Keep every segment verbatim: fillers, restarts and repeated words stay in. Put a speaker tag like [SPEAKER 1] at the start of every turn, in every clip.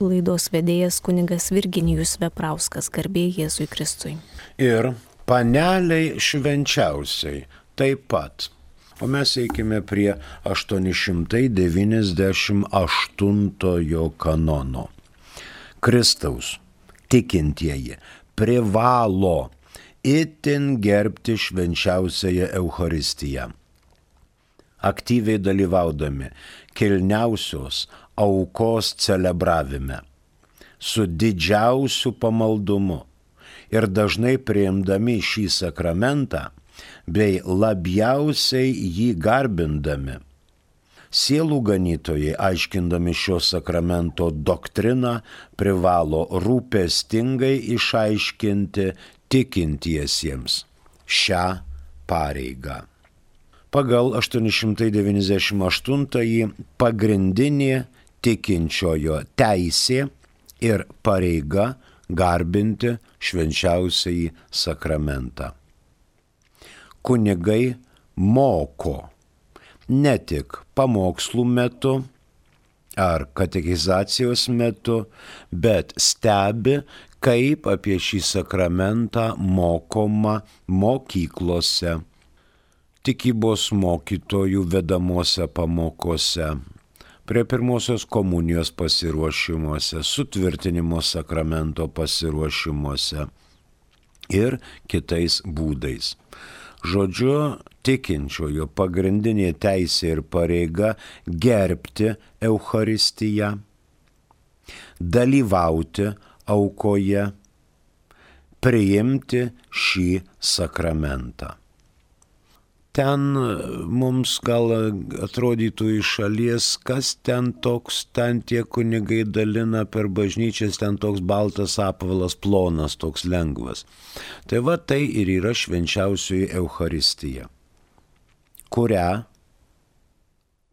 [SPEAKER 1] Laidos vedėjas kunigas Virginijus Veprauskas, garbė Jėzui Kristui.
[SPEAKER 2] Ir paneliai švenčiausiai taip pat. O mes eikime prie aštuoni šimtai devyniasdešimt aštuntojo kanono. Kristaus tikintieji privalo itin gerbti švenčiausiąją Eucharistiją, aktyviai dalyvaudami kilniausios aukos celebravime, su didžiausiu pamaldumu ir dažnai priimdami šį sakramentą bei labiausiai jį garbindami. Sielų ganytojai, aiškindami šio sakramento doktriną, privalo rūpestingai išaiškinti tikintiesiems šią pareigą. Pagal aštuoni šimtai devyniasdešimt aštuntąjį pagrindinė tikinčiojo teisė ir pareiga garbinti švenčiausiąjį sakramentą. Kunigai moko ne tik pamokslų metu ar katekizacijos metu, bet stebi, kaip apie šį sakramentą mokoma mokyklose, tikybos mokytojų vedamose pamokose, prie pirmosios komunijos pasiruošimuose, sutvirtinimo sakramento pasiruošimuose ir kitais būdais. Žodžiu, tikinčiojo pagrindinė teisė ir pareiga gerbti Eucharistiją, dalyvauti aukoje, priimti šį sakramentą. Ten mums gal atrodytų iš šalies, kas ten toks, ten tie kunigai dalina per bažnyčias, ten toks baltas apvalas, plonas, toks lengvas. Tai va tai ir yra švenčiausioji Eucharistija, kurią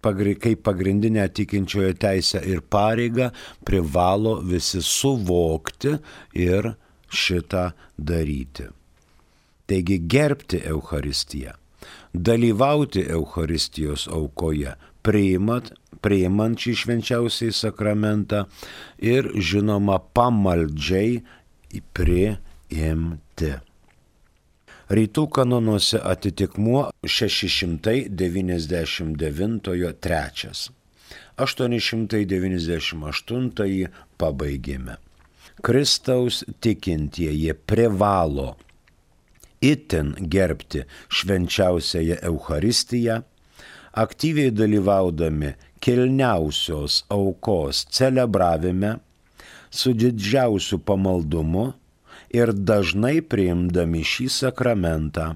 [SPEAKER 2] kaip pagrindinę tikinčiojo teisę ir pareigą privalo visi suvokti ir šitą daryti. Taigi gerbti Eucharistiją, dalyvauti Eucharistijos aukoje, priimant, priimant šį švenčiausiai sakramentą ir, žinoma, pamaldžiai priimti. Rytų kanonuose atitikmuo šeši šimtai devyniasdešimt devintojo trečias. aštuoni šimtai devyniasdešimt aštuntąjį pabaigėme. Kristaus tikintieji privalo itin gerbti švenčiausiąją Eucharistiją, aktyviai dalyvaudami kilniausios aukos celebravime, su didžiausiu pamaldumu ir dažnai priimdami šį sakramentą,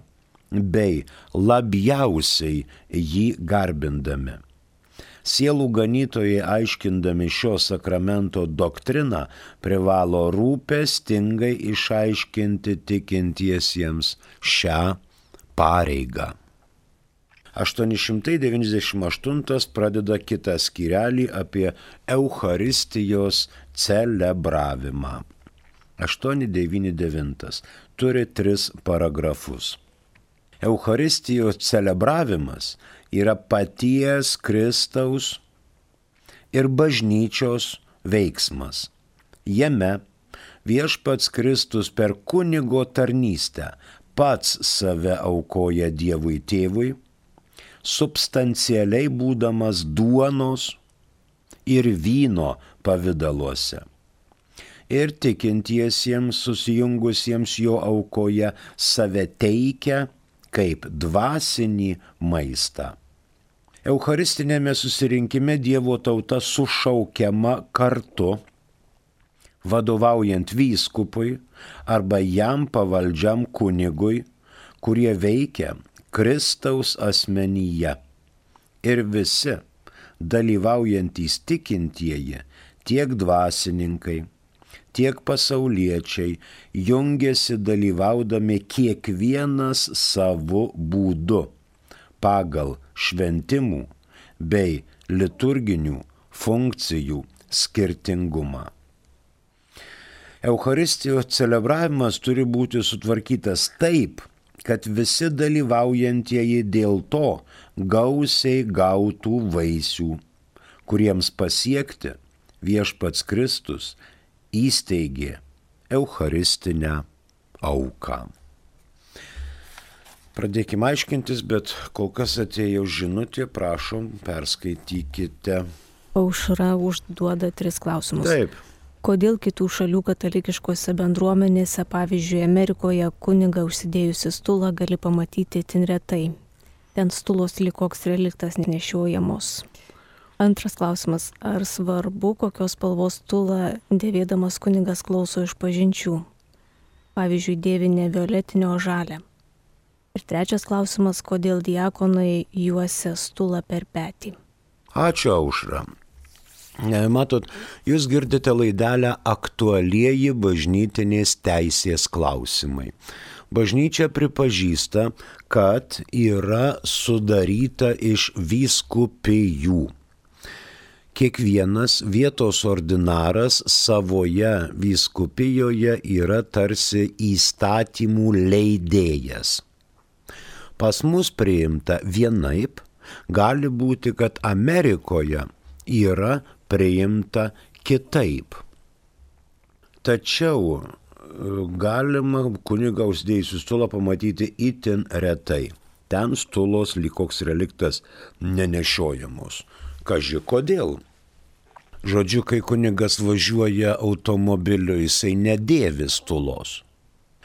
[SPEAKER 2] bei labiausiai jį garbindami. Sielų ganytojai, aiškindami šio sakramento doktriną, privalo rūpestingai išaiškinti tikintiesiems šią pareigą. aštuoni šimtai devyniasdešimt aštuntas pradeda kitą skyrelį apie Eucharistijos celebravimą. aštuoni devyni devintas turi tris paragrafus. Eucharistijos celebravimas yra paties Kristaus ir bažnyčios veiksmas. Jame viešpats Kristus per kunigo tarnystę pats save aukoja Dievui Tėvui, substancialiai būdamas duonos ir vyno pavidaluose. Ir tikintiesiems susijungusiems jo aukoje save teikia kaip dvasinį maistą. Eucharistinėme susirinkime Dievo tauta sušaukiama kartu, vadovaujant vyskupui arba jam pavaldžiam kunigui, kurie veikia Kristaus asmenyje. Ir visi dalyvaujantys tikintieji, tiek dvasininkai, tiek pasauliečiai, jungiasi dalyvaudami kiekvienas savo būdu, pagal šventimų bei liturginių funkcijų skirtingumą. Eucharistijos celebravimas turi būti sutvarkytas taip, kad visi dalyvaujantieji dėl to gausiai gautų vaisių, kuriems pasiekti viešpats Kristus įsteigė eucharistinę auką. Pradėkime aiškintis, bet kol kas atėjo žinutė, prašom, perskaitykite.
[SPEAKER 1] Aušra užduoda tris klausimus.
[SPEAKER 2] Taip.
[SPEAKER 1] Kodėl kitų šalių katalikiškose bendruomenėse, pavyzdžiui, Amerikoje, kunigą užsidėjusi stulą gali pamatyti itin retai? Ten stulos lyg koks reliktas nešiojamos. Antras klausimas. Ar svarbu, kokios spalvos stulą dėvėdamas kunigas klauso išpažinčių? Pavyzdžiui, dėvi ne violetinio, o žalią. Ir trečias klausimas, kodėl diakonai juosia stulą per petį.
[SPEAKER 2] Ačiū, Aušra. Matot, jūs girdite laidelę aktualieji bažnytinės teisės klausimai. Bažnyčia pripažįsta, kad yra sudaryta iš vyskupijų. Kiekvienas vietos ordinaras savoje vyskupijoje yra tarsi įstatymų leidėjas. Pas mus priimta vienaip, gali būti, kad Amerikoje yra priimta kitaip. Tačiau galima kunigą užsidėjusių stulą pamatyti itin retai. Ten stulos lyg koks reliktas nenešiojamos. Kaži kodėl? Žodžiu, kai kunigas važiuoja automobiliu, jisai nedėvi stulos.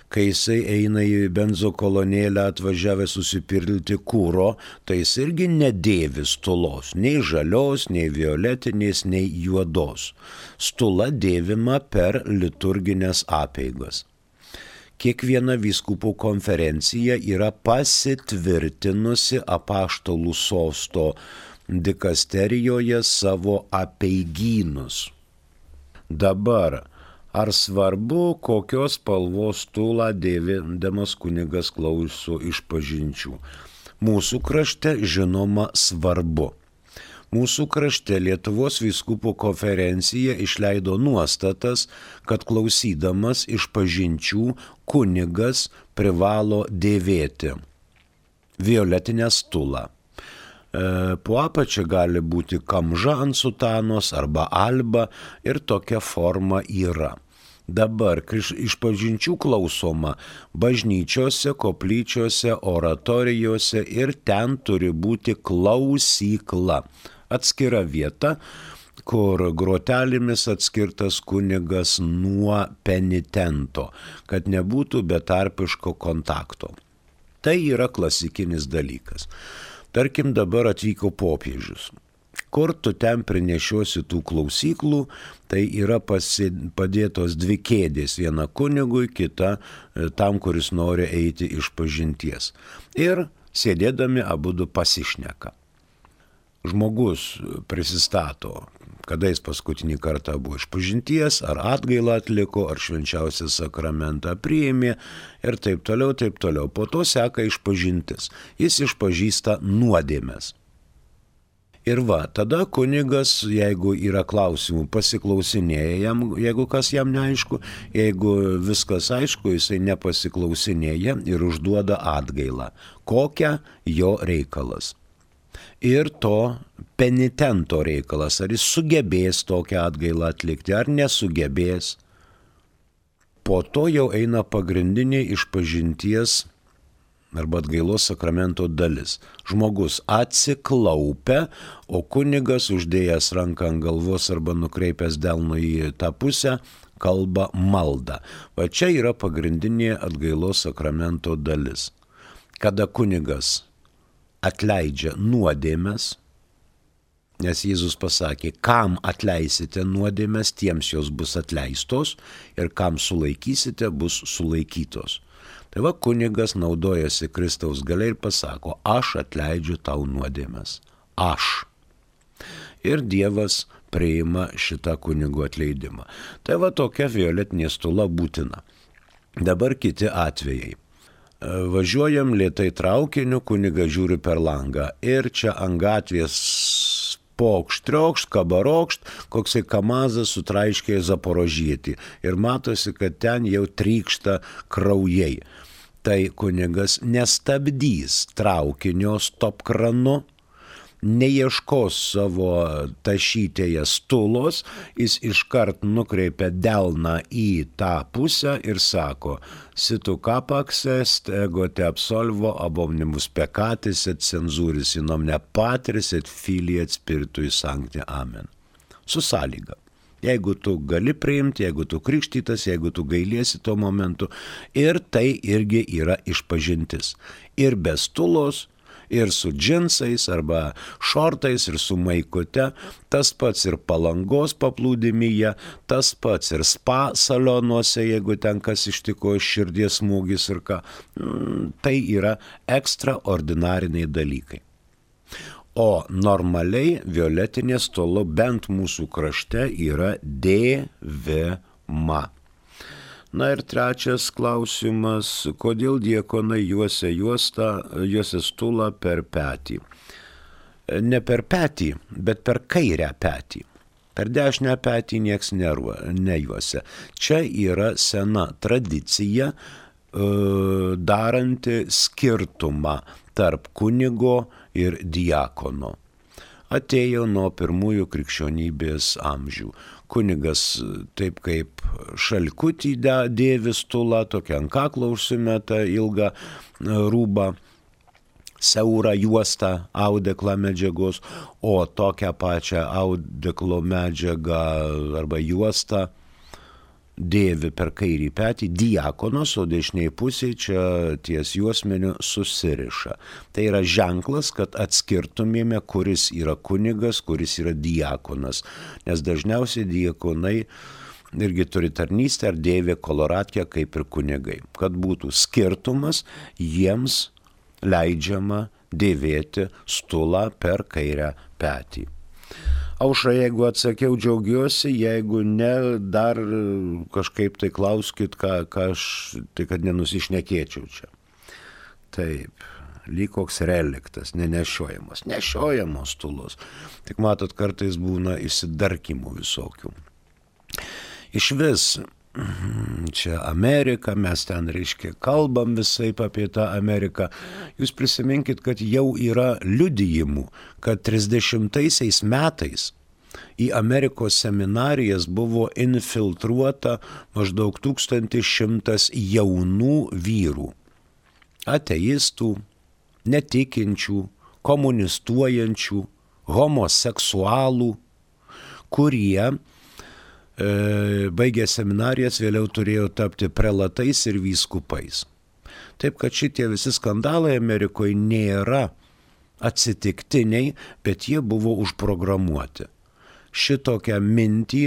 [SPEAKER 2] Kai jisai eina į benzo kolonėlę atvažiavęs susipirkti kūro, tai jis irgi nedėvi stulos, nei žalios, nei violetinės, nei juodos. Stula dėvima per liturginės apeigas. Kiekviena vyskupų konferencija yra pasitvirtinusi apaštalų sosto dikasterijoje savo apeigynus. Dabar ar svarbu, kokios spalvos stulą dėvindamas kunigas klauso išpažinčių? Mūsų krašte žinoma svarbu. Mūsų krašte Lietuvos vyskupų konferencija išleido nuostatas, kad klausydamas išpažinčių kunigas privalo dėvėti violetinę stulą. Po apačia gali būti kamža ant sutanos arba alba ir tokia forma yra. Dabar išpažinčių klausoma bažnyčiose, koplyčiose, oratorijose ir ten turi būti klausykla. Atskira vieta, kur grotelėmis atskirtas kunigas nuo penitento, kad nebūtų betarpiško kontakto. Tai yra klasikinis dalykas. Tarkim, dabar atvyko popiežius. Kur tu ten prinešiosi tų klausyklų, tai yra pasi, padėtos dvi kėdės, viena kunigui, kita tam, kuris nori eiti išpažinties. Ir sėdėdami abudu pasišneka. Žmogus prisistato, kada jis paskutinį kartą buvo išpažinties, ar atgailą atliko, ar švenčiausią sakramentą priėmė ir taip toliau, taip toliau. Po to seka išpažintis. Jis išpažįsta nuodėmes. Ir va, tada kunigas, jeigu yra klausimų, pasiklausinėja jam, jeigu kas jam neaišku, jeigu viskas aišku, jisai nepasiklausinėja ir užduoda atgailą. Kokia jo reikalas? Ir to penitento reikalas, ar jis sugebės tokią atgailą atlikti, ar nesugebės. Po to jau eina pagrindinė išpažinties arba atgailos sakramento dalis. Žmogus atsiklaupia, o kunigas uždėjęs ranką ant galvos arba nukreipęs delną į tą pusę, kalba maldą. Va čia yra pagrindinė atgailos sakramento dalis. Kada kunigas atleidžia nuodėmes, nes Jėzus pasakė, kam atleisite nuodėmes, tiems jos bus atleistos ir kam sulaikysite, bus sulaikytos. Tai va, kunigas naudojasi Kristaus galia ir pasako, aš atleidžiu tau nuodėmes. Aš. Ir Dievas priima šitą kunigo atleidimą. Tai va, tokia violetinė stula būtina. Dabar kiti atvejai. Važiuojam lėtai traukiniu, kunigas žiūri per langą ir čia ant gatvės pokšt, triokšt, kabarokšt, koksai kamazas sutraiškė Zaporožietį ir matosi, kad ten jau trykšta kraujai. Tai kunigas nestabdys traukinio stop kranu, neieškos savo tašytėje stulos, jis iškart nukreipia delną į tą pusę ir sako, situ capax est, ego te absolvo, ab omnibus peccatis et censuris in omne patris et filii et spiritui sancti. Amen. Su sąlyga. Jeigu tu gali priimti, jeigu tu krikštytas, jeigu tu gailiesi tuo momentu. Ir tai irgi yra išpažintis. Ir be stulos, ir su džinsais arba šortais, ir su maikute, tas pats ir palangos paplūdimyje, tas pats ir spa salonuose, jeigu ten kas ištiko širdies smūgis ir ką. Tai yra ekstraordinariniai dalykai. O normaliai violetinė stolo bent mūsų krašte yra dėvima. Na ir trečias klausimas, kodėl diakonai juosia juostą, juosia stulą per petį? Ne per petį, bet per kairę petį. Per dešinę petį nieks nejuosia. Čia yra sena tradicija, daranti skirtumą tarp kunigo ir diakono. Atėjo nuo pirmųjų krikščionybės amžių. Kunigas taip kaip šalkutį dėvi stulą, tokią ant kaklo užsimeta ilgą rūbą, siaurą juostą audeklą medžiagos, o tokią pačią audeklo medžiagą arba juostą dėvi per kairį petį diakonas, o dešiniai pusėje čia ties juosmeniu susiriša. Tai yra ženklas, kad atskirtumėme, kuris yra kunigas, kuris yra diakonas. Nes dažniausiai diakonai irgi turi tarnystę ar dėvi koloratkę kaip ir kunigai. Kad būtų skirtumas, jiems leidžiama dėvėti stulą per kairę petį. Aušra, jeigu atsakiau, džiaugiuosi, jeigu ne, dar kažkaip tai klauskit, ką, ką aš, tai kad nenusišnekėčiau čia. Taip, lyg koks reliktas, nenešiojamas, nešiojamos stulos. Tik matot, kartais būna įsidarkimų visokių. Iš vis, čia Amerika, mes ten, reiškia, kalbam visaip apie tą Ameriką. Jūs prisiminkit, kad jau yra liudijimų, kad trisdešimtaisiais metais į Amerikos seminarijas buvo infiltruota maždaug tūkstantis šimtas jaunų vyrų, ateistų, netikinčių, komunistuojančių, homoseksualų, kurie baigę seminarijas vėliau turėjo tapti prelatais ir vyskupais. Taip kad šitie visi skandalai Amerikoje nėra atsitiktiniai, bet jie buvo užprogramuoti. Šitokią mintį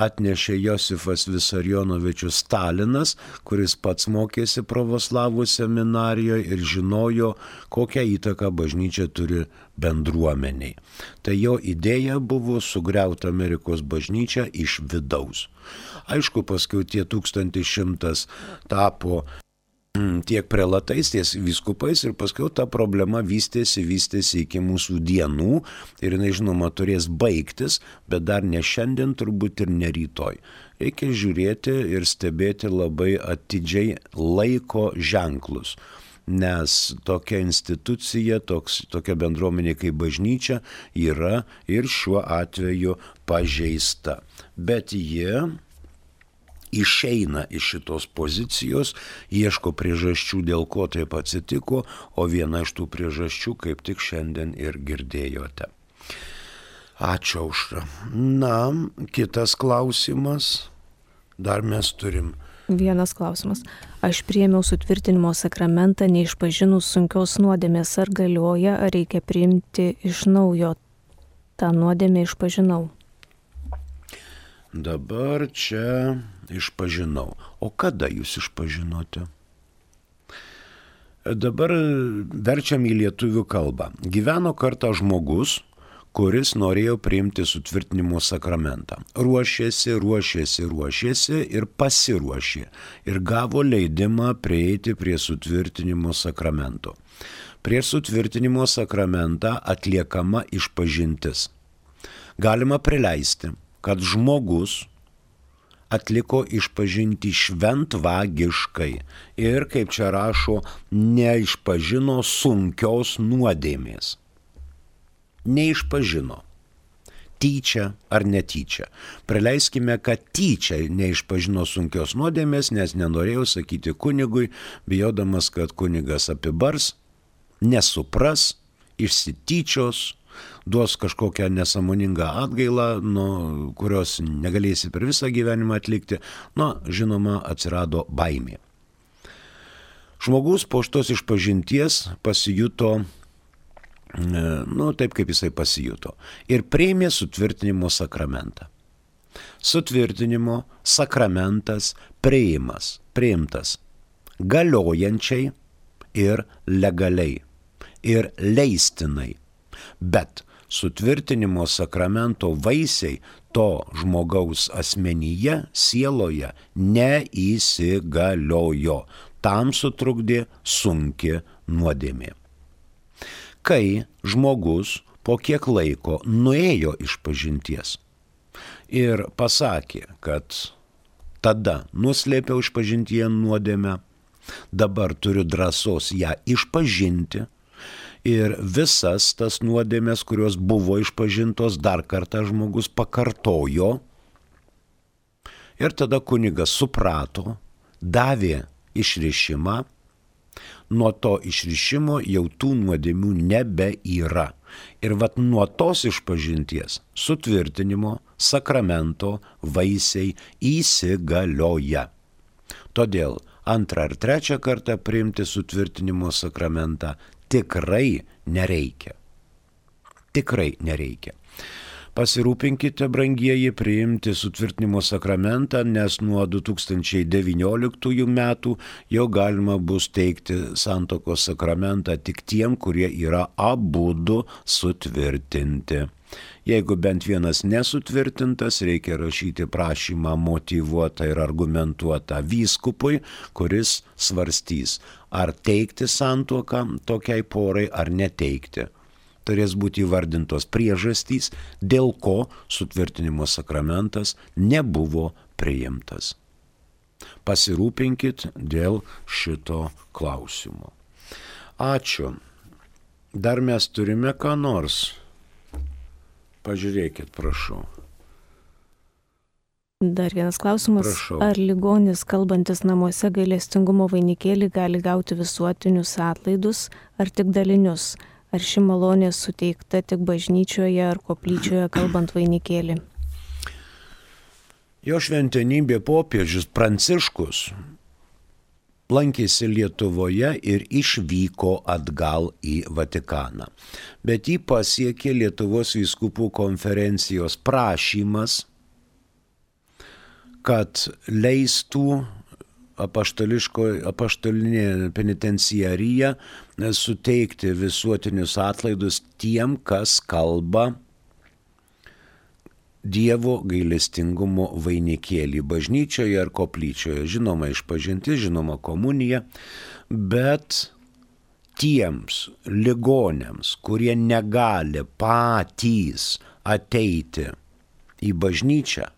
[SPEAKER 2] atnešė Josifas Visarionovičius Stalinas, kuris pats mokėsi pravoslavų seminarijoje ir žinojo, kokią įtaką bažnyčia turi bendruomeniai. Tai jo idėja buvo sugriauti Amerikos bažnyčią iš vidaus. Aišku, paskui tie tūkstantis šimtas tapo tiek prelatais, tiek vyskupais ir paskui ta problema vystėsi, vystėsi iki mūsų dienų ir jinai, žinoma, turės baigtis, bet dar ne šiandien, turbūt ir ne rytoj. Reikia žiūrėti ir stebėti labai atidžiai laiko ženklus, nes tokia institucija, toks, tokia bendruomenė kaip bažnyčia yra ir šiuo atveju pažeista. Bet jie išeina iš šitos pozicijos, ieško priežasčių, dėl ko taip atsitiko, o viena iš tų priežasčių kaip tik šiandien ir girdėjote. Ačiū, Aušra. Na, kitas klausimas. Dar mes turim.
[SPEAKER 1] Vienas klausimas. Aš priėmiau sutvirtinimo sakramentą neišpažinus sunkios nuodėmės, ar galioja, ar reikia priimti iš naujo. tą nuodėmę išpažinau.
[SPEAKER 2] Dabar čia išpažinau. O kada jūs išpažinote? Dabar verčiam į lietuvių kalbą. Gyveno kartą žmogus, kuris norėjo priimti sutvirtinimo sakramentą. Ruošėsi, ruošėsi, ruošėsi ir pasiruošė. Ir gavo leidimą prieiti prie sutvirtinimo sakramento. Prie sutvirtinimo sakramentą atliekama išpažintis. Galima prileisti, kad žmogus atliko išpažinti šventvagiškai ir, kaip čia rašo, neišpažino sunkios nuodėmės. neišpažino. Tyčia ar netyčia. Praleiskime, kad tyčia neišpažino sunkios nuodėmės, nes nenorėjau sakyti kunigui, bijodamas, kad kunigas apibars, nesupras, išsityčios, duos kažkokią nesąmoningą atgailą, nu, kurios negalėsi per visą gyvenimą atlikti. Nu, žinoma, atsirado baimė. Žmogus po šitos išpažinties pasijuto, nu, taip kaip jisai pasijuto. Ir priėmė sutvirtinimo sakramentą. Sutvirtinimo sakramentas priimas, priimtas galiojančiai ir legaliai ir leistinai. Bet sutvirtinimo sakramento vaisiai to žmogaus asmenyje, sieloje neįsigaliojo. Tam sutrukdė sunki nuodėmė. Kai žmogus po kiek laiko nuėjo išpažinties ir pasakė, kad tada nuslėpiau išpažintyje nuodėmę, dabar turiu drąsos ją išpažinti ir visas tas nuodėmės, kurios buvo išpažintos, dar kartą žmogus pakartojo ir tada kunigas suprato, davė išrišimą. Nuo to išrišimo jau tų nuodėmių nebeyra. Ir vat nuo tos išpažinties sutvirtinimo sakramento vaisiai įsigalioja. Todėl antrą ar trečią kartą priimti sutvirtinimo sakramentą tikrai nereikia. Tikrai nereikia. Pasirūpinkite, brangieji, priimti sutvirtinimo sakramentą, nes nuo du tūkstančiai devynioliktųjų metų jau galima bus teikti santuokos sakramentą tik tiem, kurie yra abudu sutvirtinti. Jeigu bent vienas nesutvirtintas, reikia rašyti prašymą motyvuotą ir argumentuotą vyskupui, kuris svarstys, ar teikti santuoką tokiai porai ar neteikti. Turės būti įvardintos priežastys, dėl ko sutvirtinimo sakramentas nebuvo priimtas. Pasirūpinkit dėl šito klausimo. Ačiū. Dar mes turime ką nors. Pažiūrėkit, prašau.
[SPEAKER 1] Dar vienas klausimas.
[SPEAKER 2] Prašau.
[SPEAKER 1] Ar ligonis, kalbantis namuose, gailestingumo vainikėlį gali gauti visuotinius atlaidus ar tik dalinius? Ar ši malonė suteikta tik bažnyčioje ar koplyčioje kalbant vainikėlį?
[SPEAKER 2] Jo šventenybė popiežius Pranciškus lankėsi Lietuvoje ir išvyko atgal į Vatikaną. Bet jį pasiekė Lietuvos vyskupų konferencijos prašymas, kad leistų apaštalinė penitenciarija suteikti visuotinius atlaidus tiem, kas kalba Dievo gailestingumo vainikėlį bažnyčioje ar koplyčioje. Žinoma išpažintis, žinoma komunija, bet tiems ligoniams, kurie negali patys ateiti į bažnyčią,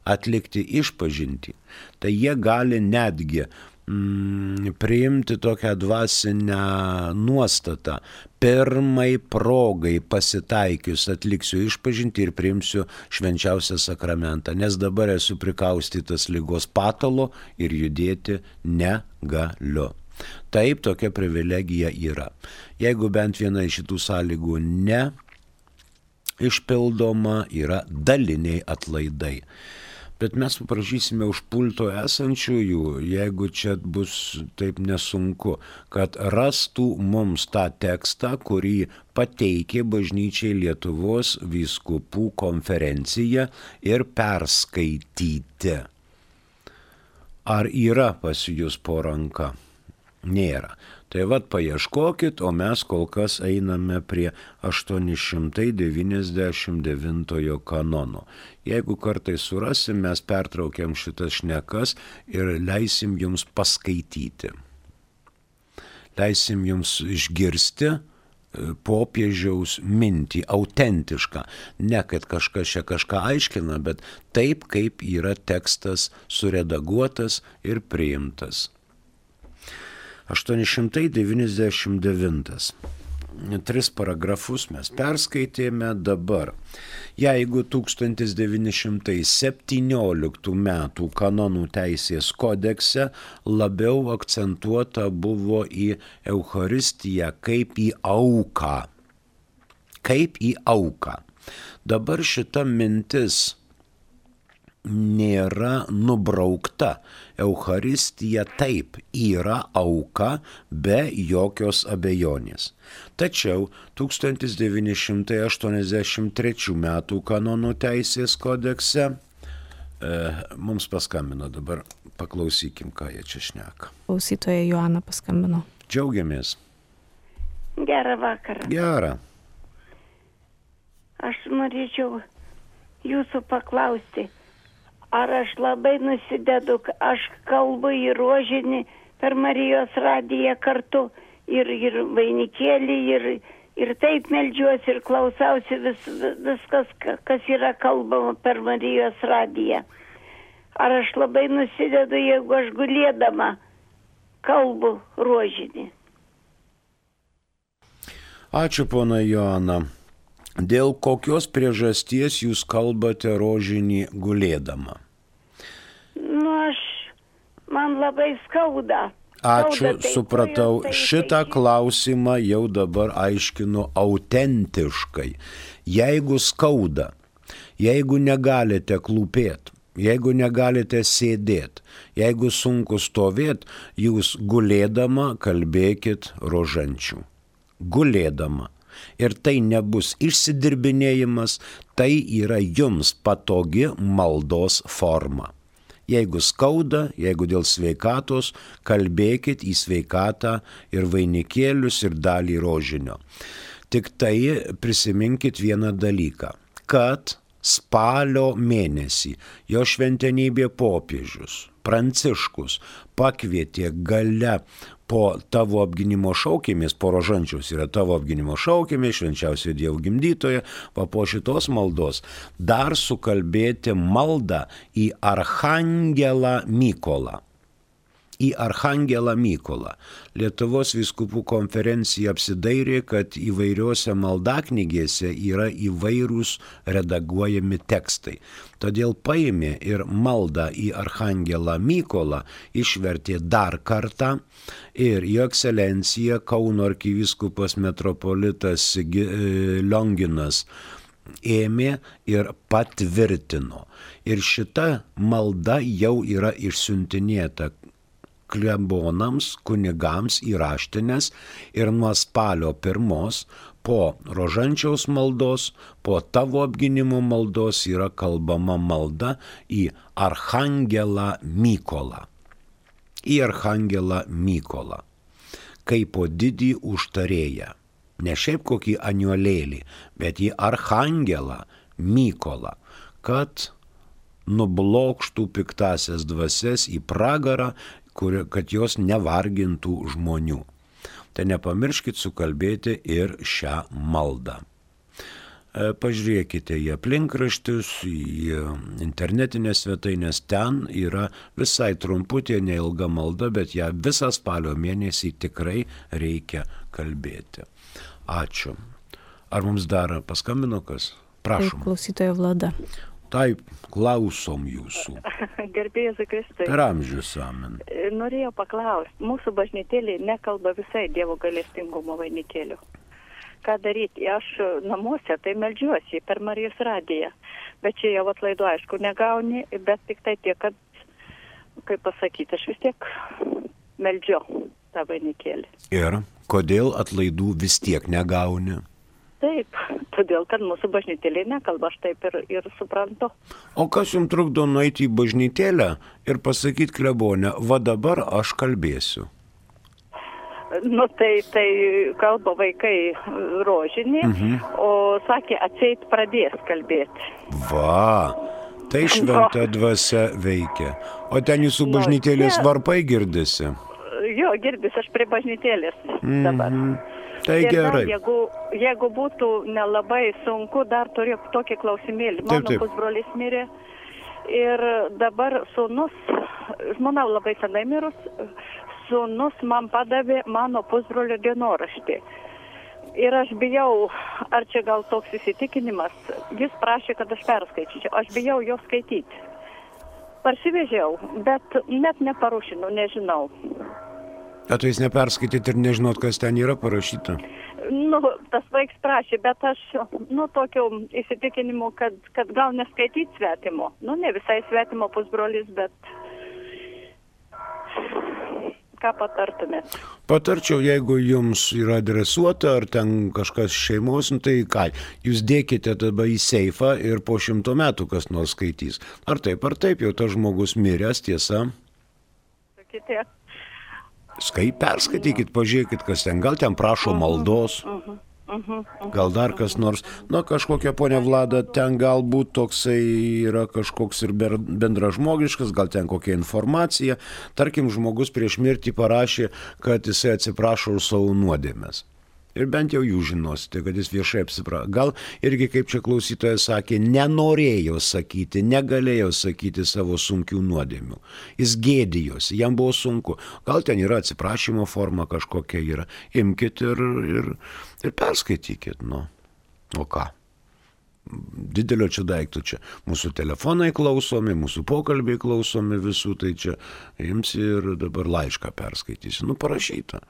[SPEAKER 2] atlikti išpažintį, tai jie gali netgi mm, priimti tokią dvasinę nuostatą. Pirmai progai pasitaikius atliksiu išpažintį ir priimsiu švenčiausią sakramentą, nes dabar esu prikaustytas ligos patalo ir judėti negaliu. Taip, tokia privilegija yra. Jeigu bent viena iš šitų sąlygų neišpildoma, yra daliniai atlaidai. Bet mes paprašysime už pulto esančiųjų, jeigu čia bus taip nesunku, kad rastų mums tą tekstą, kurį pateikė bažnyčiai Lietuvos vyskupų konferencija ir perskaityti. Ar yra pas jūs po ranka? Nėra. Tai vat paieškokit, o mes kol kas einame prie aštuoni šimtai devyniasdešimt devintojo kanono. Jeigu kartais surasim, mes pertraukiam šitas šnekas ir leisim jums paskaityti. Leisim jums išgirsti popiežiaus mintį, autentišką. Ne, kad kažkas čia kažką aiškina, bet taip, kaip yra tekstas suredaguotas ir priimtas. aštuoni šimtai devyniasdešimt devintas tris paragrafus mes perskaitėme dabar. Jeigu tūkstantis devyni šimtai septynioliktų metų kanonų teisės kodekse labiau akcentuota buvo į Eucharistiją kaip į auką. Kaip į auką. Dabar šita mintis nėra nubraukta. Eucharistija taip yra auka be jokios abejonės. Tačiau tūkstantis devyni šimtai aštuoniasdešimt trečių metų kanonų teisės kodekse e, mums paskambino, dabar paklausykim, ką jie čia šneka.
[SPEAKER 1] Klausytoja Joana paskambino.
[SPEAKER 2] Džiaugiamės.
[SPEAKER 3] Gerą vakarą.
[SPEAKER 2] Gerą.
[SPEAKER 3] Aš norėčiau jūsų paklausti, ar aš labai nusidedu, aš kalbu į rožinį per Marijos radiją kartu ir, ir vainikėlį ir, ir taip meldžiuosi ir klausausi vis, viskas, kas yra kalbama per Marijos radiją. Ar aš labai nusidedu, jeigu aš gulėdama kalbu rožinį?
[SPEAKER 2] Ačiū, pona Joana. Dėl kokios priežasties jūs kalbate rožinį gulėdama?
[SPEAKER 3] Nu, aš, man labai skauda.
[SPEAKER 2] Ačiū,
[SPEAKER 3] skauda, tai
[SPEAKER 2] supratau.
[SPEAKER 3] tai, tai,
[SPEAKER 2] Šitą
[SPEAKER 3] tai,
[SPEAKER 2] klausimą jau dabar aiškinu autentiškai. Jeigu skauda, jeigu negalite klūpėti, jeigu negalite sėdėti, jeigu sunku stovėti, jūs gulėdama kalbėkit rožančių. Gulėdama. Ir tai nebus išsidirbinėjimas, tai yra jums patogi maldos forma. Jeigu skauda, jeigu dėl sveikatos, kalbėkit į sveikatą ir vainikėlius ir dalį rožinio. Tik tai prisiminkit vieną dalyką, kad spalio mėnesį jo šventenybė popiežius Pranciškus pakvietė gale po tavo apgynimo šaukėmis, po rožančiaus yra tavo apgynimo šaukėmis, švenčiausiojo Dievo gimdytoje, va po šitos maldos dar sukalbėti maldą į Archangelą Mykolą. Į Archangelą Mykolą. Lietuvos vyskupų konferencija apsidairė, kad įvairiuose maldaknygėse yra įvairūs redaguojami tekstai. Todėl paėmė ir maldą į Archangelą Mykolą, išvertė dar kartą ir jo ekscelencija Kauno arkivyskupas metropolitas Lionginas ėmė ir patvirtino. Ir šita malda jau yra išsiuntinėta klebonams, kunigams į raštines ir nuo spalio pirmos po rožančiaus maldos, po tavo apgynimo maldos yra kalbama malda į Archangelą Mykolą. Į Archangelą Mykolą. Kaip po didį užtarėją. Ne šiaip kokį aniuolėlį, bet į Archangelą Mykolą, kad nublokštų piktasias dvasias į pragarą, kur, kad jos nevargintų žmonių. Tai nepamirškit sukalbėti ir šią maldą. Pažiūrėkite į aplinkraščius, į internetinės svetainės, ten yra visai trumputė, neilga malda, bet ją visą spalio mėnesį tikrai reikia kalbėti. Ačiū. Ar mums dar paskambino kas? Prašom.
[SPEAKER 1] Taip, klausytoja Vlada.
[SPEAKER 2] Taip, klausom jūsų.
[SPEAKER 4] Gerbėjas Kristai.
[SPEAKER 2] Per amžius amen.
[SPEAKER 4] Norėjau paklausti, mūsų bažnytėlė nekalba visai Dievo gailestingumo vainikėlių. Ką daryti? Aš namuose tai meldžiuosi per Marijos radiją, bet čia jau atlaidų aišku negauni, bet tik tai tiek, kad, kaip pasakyti, aš vis tiek meldžiu tą vainikėlį.
[SPEAKER 2] Ir kodėl atlaidų vis tiek negauni?
[SPEAKER 4] Taip, todėl, kad mūsų bažnytėlė nekalba, aš taip ir, ir suprantu.
[SPEAKER 2] O kas jums trukdo nueiti į bažnytėlę ir pasakyti klebonę, va dabar aš kalbėsiu?
[SPEAKER 4] Nu, tai, tai kalba vaikai rožinį, mhm. o sakė, atseit pradės kalbėti.
[SPEAKER 2] Va, tai šventa dvasia veikia. O ten jūsų bažnytėlės varpai girdisi?
[SPEAKER 4] Jo, girdisi, aš prie bažnytėlės dabar.
[SPEAKER 2] Mhm. Tai
[SPEAKER 4] ir
[SPEAKER 2] gerai.
[SPEAKER 4] Dar, jeigu, jeigu būtų nelabai sunku, dar turiu tokį klausimėlį. Mano
[SPEAKER 2] taip, taip.
[SPEAKER 4] pusbrolis mirė ir dabar sūnus, žmona labai senai mirus, sūnus man padavė mano pusbrolio dienoraštį. Ir aš bijau, ar čia gal toks įsitikinimas, jis prašė, kad aš perskaityčiau, aš bijau jo skaityti. Parsivežiau, bet net neparušinu, nežinau.
[SPEAKER 2] O tai jūs neperskaityt ir nežinot, kas ten yra parašyta?
[SPEAKER 4] Nu, tas vaiks prašė, bet aš, nu, tokio įsitikinimu, kad, kad gal neskaityti svetimo. Nu, ne visai svetimo pusbrolis, bet ką patartumėt?
[SPEAKER 2] Patarčiau, jeigu jums yra adresuota, ar ten kažkas šeimos, nu, tai ką, jūs dėkite tada į seifą ir po šimto metų kas nors skaitys. Ar taip, ar taip, jau tas žmogus miręs, tiesa?
[SPEAKER 4] Sakyti.
[SPEAKER 2] Skai, perskaitykit, pažiūrėkit, kas ten, gal ten prašo maldos, gal dar kas nors, na kažkokia ponia Vlada, ten galbūt toksai yra kažkoks ir bendražmogiškas, gal ten kokia informacija, tarkim, žmogus prieš mirtį parašė, kad jisai atsiprašo už savo nuodėmes. Ir bent jau jūs žinosite, kad jis viešai apsiprašo. Gal irgi, kaip čia klausytojas sakė, nenorėjo sakyti, negalėjo sakyti savo sunkių nuodėmių. Jis gėdijosi, jam buvo sunku. Gal ten yra atsiprašymo forma kažkokia yra. Imkit ir, ir, ir perskaitykit. Nu, o ką? Didelio čia daiktų čia. Mūsų telefonai klausomi, mūsų pokalbiai klausomi visų, tai čia imsi ir dabar laišką perskaitysi. Nu, parašyta.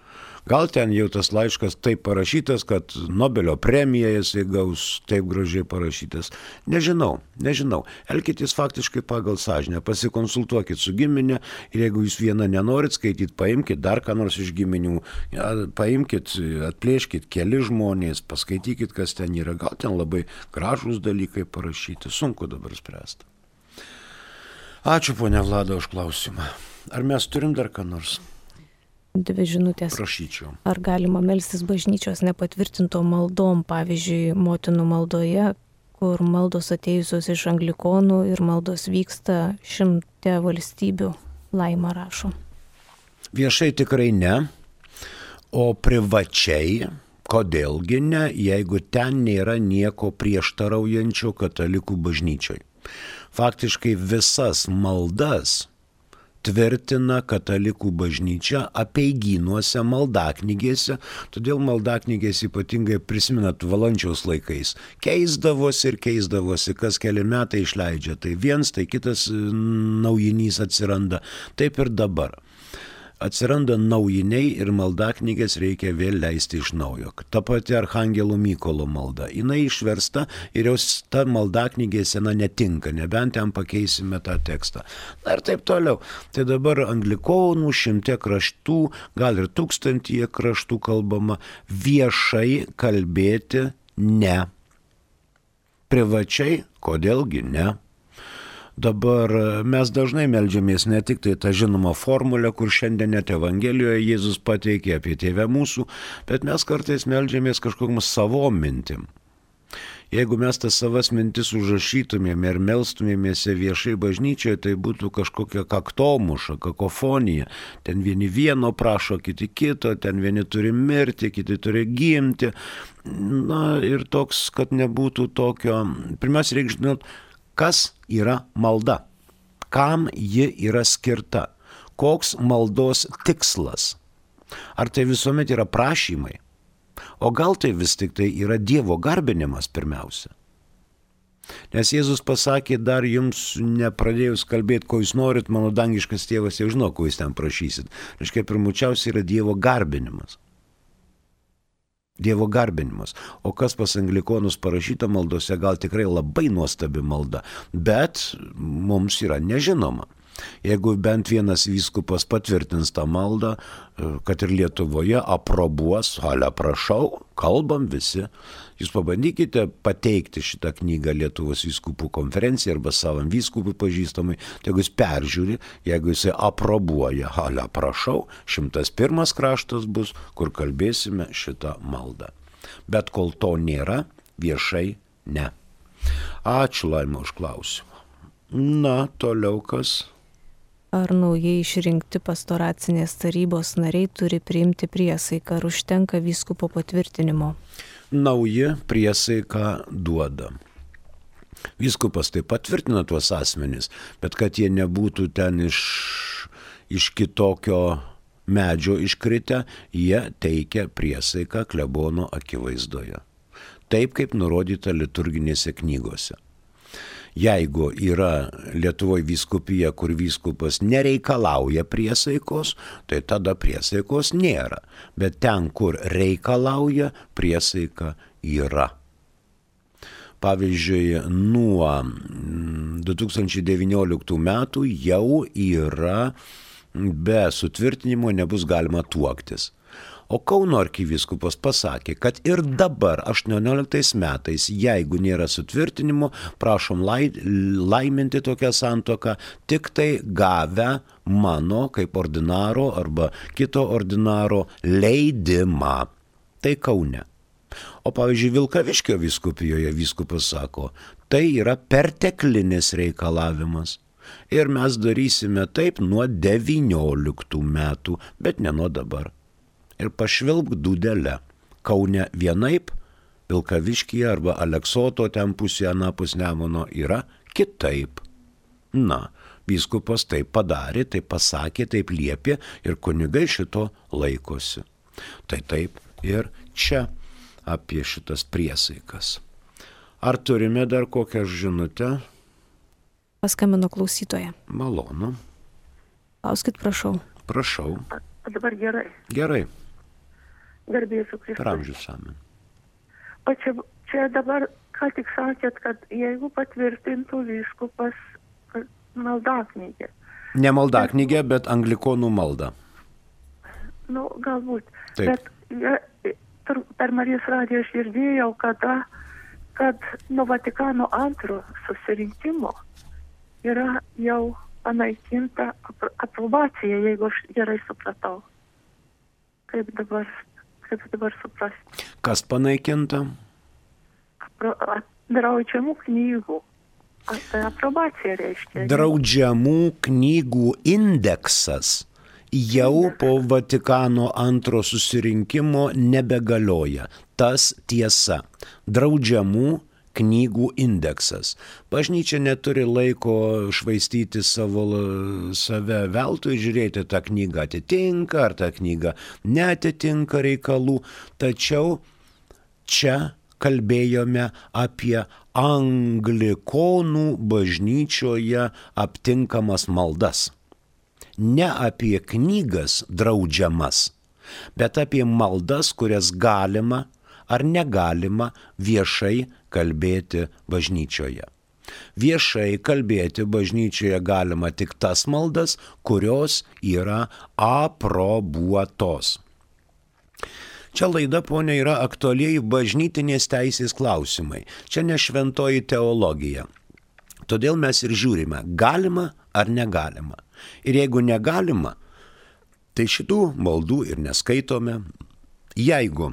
[SPEAKER 2] Gal ten jau tas laiškas taip parašytas, kad Nobelio premiją jisai gaus taip gražiai parašytas. Nežinau, nežinau. Elkitės faktiškai pagal sąžinę, pasikonsultuokit su giminė ir jeigu jūs vieną nenorit skaityti, paimkit dar ką nors iš giminių, ja, paimkit, atplėškit keli žmonės, paskaitykit, kas ten yra. Gal ten labai gražūs dalykai parašyti, sunku dabar spręsti. Ačiū, ponia Vlada, už klausimą. Ar mes turim dar ką nors?
[SPEAKER 1] Dvi žinutės.
[SPEAKER 2] Prašyčiau.
[SPEAKER 1] Ar galima melstis bažnyčios nepatvirtinto maldom, pavyzdžiui, motinų maldoje, kur maldos atėjusios iš anglikonų ir maldos vyksta šimte valstybių? Laima rašo.
[SPEAKER 2] Viešai tikrai ne, o privačiai, kodėlgi ne, jeigu ten nėra nieko prieštaraujančio katalikų bažnyčioj. Faktiškai visas maldas tvirtina katalikų bažnyčia apeigynuose, maldaknygėse, todėl maldaknygės ypatingai prisimenat Valančiaus laikais. Keisdavosi ir keisdavosi, kas keli metai išleidžia, tai viens, tai kitas naujinys atsiranda, taip ir dabar. Atsiranda naujiniai ir maldaknygės reikia vėl leisti iš naujo. Ta pati Archangelo Mykolo malda, jinai išversta ir jau ta maldaknygė sena netinka, nebent ten pakeisime tą tekstą. Na ir taip toliau. Tai dabar anglikonų šimte kraštų, gal ir tūkstantyje kraštų kalbama, viešai kalbėti ne. Privačiai, kodėlgi ne. Dabar mes dažnai meldžiamės ne tik tai tą žinomą formulę, kur šiandien net Evangelijoje Jėzus pateikė apie Tėvę mūsų, bet mes kartais meldžiamės kažkokiam savom mintim. Jeigu mes tas savas mintis užrašytumėme ir melstumėmės viešai bažnyčioje, tai būtų kažkokia kaktomuša, kakofonija. Ten vieni vieno prašo, kiti kito, ten vieni turi mirti, kiti turi gimti. Na ir toks, kad nebūtų tokio, pirmiausia, reikia žinot, kas yra malda, kam ji yra skirta, koks maldos tikslas. Ar tai visuomet yra prašymai, o gal tai vis tik tai yra Dievo garbinimas pirmiausia. Nes Jėzus pasakė, dar jums nepradėjus kalbėti, ko jūs norit, mano dangiškas tėvas jau žino, ko jūs ten prašysit. Reiškia, pirmučiausia yra Dievo garbinimas. Dievo garbinimas. O kas pas anglikonus parašyta maldose, gal tikrai labai nuostabi malda, bet mums yra nežinoma. Jeigu bent vienas vyskupas patvirtins tą maldą, kad ir Lietuvoje aprobuos, ale prašau, kalbam visi. Jūs pabandykite pateikti šitą knygą Lietuvos vyskupų konferencijai arba savam vyskupui pažįstamai, tai jeigu jis peržiūri, jeigu jisai aprobuoja, ale prašau, šimtas pirmas kraštas bus, kur kalbėsime šitą maldą. Bet kol to nėra, viešai ne. Ačiū, Laima, už klausimą. Na, toliau kas?
[SPEAKER 1] Ar naujai išrinkti pastoracinės tarybos nariai turi priimti priesaiką, ar užtenka vyskupo patvirtinimo?
[SPEAKER 2] Nauji priesaiką duoda. Vyskupas taip patvirtina tuos asmenys, bet kad jie nebūtų ten iš, iš kitokio medžio iškritę, jie teikia priesaiką klebono akivaizdoje. Taip, kaip nurodyta liturginėse knygose. Jeigu yra Lietuvoje vyskupija, kur vyskupas nereikalauja priesaikos, tai tada priesaikos nėra. Bet ten, kur reikalauja, priesaika yra. Pavyzdžiui, nuo du tūkstančiai devynioliktų metų jau yra be sutvirtinimo nebus galima tuoktis. O Kauno arkivyskupas pasakė, kad ir dabar, aštuonioliktais metais, jeigu nėra sutvirtinimo, prašom lai, laiminti tokią santuoką, tik tai gavę mano kaip ordinaro arba kito ordinaro leidimą. Tai Kaune. O pavyzdžiui, Vilkaviškio vyskupijoje vyskupas sako, tai yra perteklinis reikalavimas. Ir mes darysime taip nuo devynioliktų metų, bet ne nuo dabar. Ir pašvilpk dūdelę. Kaune vienaip, Vilkaviškyje arba Aleksoto ten pusėje anapus Nemuno yra kitaip. Na, vyskupas taip padarė, taip pasakė, taip liepė ir kunigai šito laikosi. Tai taip ir čia apie šitas priesaikas. Ar turime dar kokią žinutę?
[SPEAKER 1] Paskambino klausytoja.
[SPEAKER 2] Malonu.
[SPEAKER 1] Klauskit, prašau.
[SPEAKER 2] Prašau.
[SPEAKER 5] A dabar gerai.
[SPEAKER 2] Gerai.
[SPEAKER 5] Garbėsiu Kristus.
[SPEAKER 2] Per amžius amen.
[SPEAKER 5] O čia, čia dabar, ką tik sakėt, kad jeigu patvirtintų vyskupas maldaknygę.
[SPEAKER 2] Ne maldaknygę, bet anglikonų maldą.
[SPEAKER 5] Nu, galbūt.
[SPEAKER 2] Taip.
[SPEAKER 5] Bet ja, per Marijos radiją aš girdėjau, kada, kad nuo Vatikano antro susirinkimo yra jau panaikinta aprobacija, jeigu aš gerai supratau. Kaip dabar, kaip dabar suprasti?
[SPEAKER 2] Kas panaikinta?
[SPEAKER 5] Apro, draudžiamų knygų. Tai aprobacija reiškia.
[SPEAKER 2] Draudžiamų knygų indeksas jau po Vatikano antro susirinkimo nebegalioja. Tas tiesa. Draudžiamų knygų indeksas. Bažnyčia neturi laiko švaistyti savo, save veltui, žiūrėti, tą knygą atitinka, ar tą knygą neatitinka reikalų. Tačiau čia kalbėjome apie anglikonų bažnyčioje aptinkamas maldas. Ne apie knygas draudžiamas, bet apie maldas, kurias galima ar negalima viešai kalbėti bažnyčioje. Viešai kalbėti bažnyčioje galima tik tas maldas, kurios yra aprobuotos. Čia laida, ponia, yra aktualieji bažnytinės teisės klausimai. Čia ne šventoji teologija. Todėl mes ir žiūrime, galima ar negalima. Ir jeigu negalima, tai šitų maldų ir neskaitome. Jeigu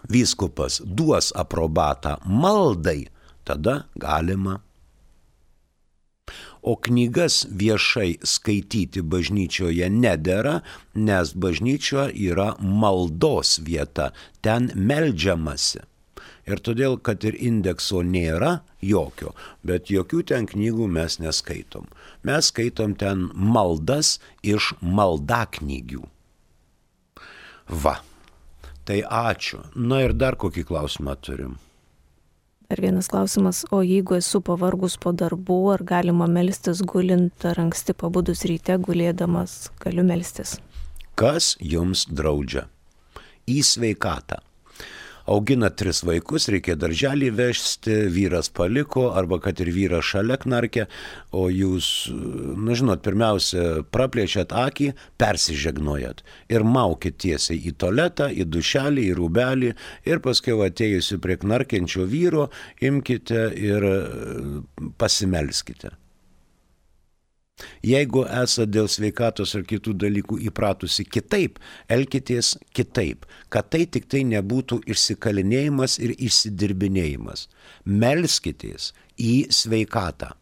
[SPEAKER 2] vyskupas duos aprobatą maldai, tada galima. O knygas viešai skaityti bažnyčioje nedera, nes bažnyčia yra maldos vieta, ten meldžiamasi. Ir todėl, kad ir indekso nėra jokio, bet jokių ten knygų mes neskaitom. Mes skaitom ten maldas iš maldaknygių. Va. Tai ačiū. Na ir dar kokį klausimą turim.
[SPEAKER 1] Dar vienas klausimas, o jeigu esu pavargus po darbų, ar galima melstis gulint, ar anksti pabudus ryte gulėdamas galiu melstis?
[SPEAKER 2] Kas jums draudžia? Į sveikatą. Augina tris vaikus, reikia darželį vežti, vyras paliko, arba kad ir vyras šalia knarkia, o jūs, na žinot, pirmiausia, praplėčiat akį, persižegnojat ir maukit tiesiai į tualetą, į dušelį, į rūbelį ir paskui atėjusi prie knarkiančio vyro, imkite ir pasimelskite. Jeigu esate dėl sveikatos ar kitų dalykų įpratusi kitaip, elkitės kitaip, kad tai tik tai nebūtų išsikalinėjimas ir išsidirbinėjimas. Melskitės į sveikatą.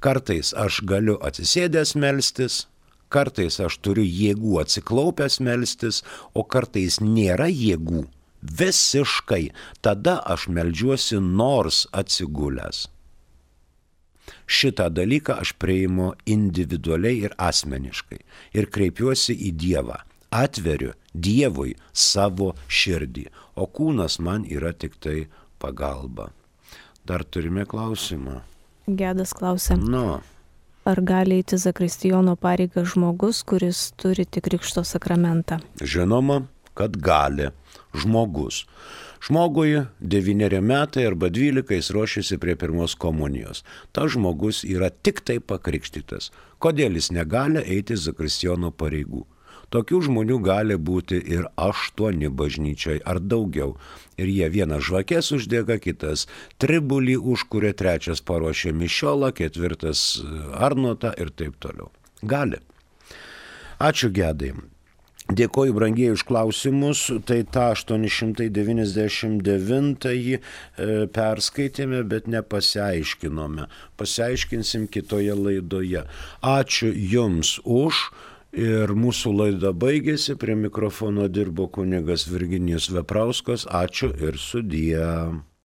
[SPEAKER 2] Kartais aš galiu atsisėdęs melstis, kartais aš turiu jėgų atsiklaupęs melstis, o kartais nėra jėgų visiškai. Tada aš meldžiuosi nors atsigulęs. Šitą dalyką aš priimu individualiai ir asmeniškai ir kreipiuosi į Dievą. Atveriu Dievui savo širdį, o kūnas man yra tik tai pagalba. Dar turime klausimą.
[SPEAKER 1] Gedas klausia.
[SPEAKER 2] Nu.
[SPEAKER 1] Ar gali eiti zakristijono pareigą žmogus, kuris turi tik krikšto sakramentą?
[SPEAKER 2] Žinoma, kad gali žmogus. Žmogui devyneri metai arba dvylika jis ruošiasi prie pirmos komunijos. Ta žmogus yra tik tai pakrikštytas. Kodėl jis negali eiti zakristijono pareigų? Tokių žmonių gali būti ir aštuoni bažnyčiai ar daugiau. Ir jie vienas žvakės uždega, kitas tribulį užkuria, trečias paruošia mišiolą, ketvirtas arnotą ir taip toliau. Gali. Ačiū Gedai. Dėkoju brangieji už klausimus. Tai tą aštuoni šimtai devyniasdešimt devintąjį perskaitėme, bet nepasiaiškinome. Pasiaiškinsim kitoje laidoje. Ačiū Jums už. Ir mūsų laida baigėsi, prie mikrofono dirbo kunigas Virginijus Veprauskas. Ačiū ir sudie.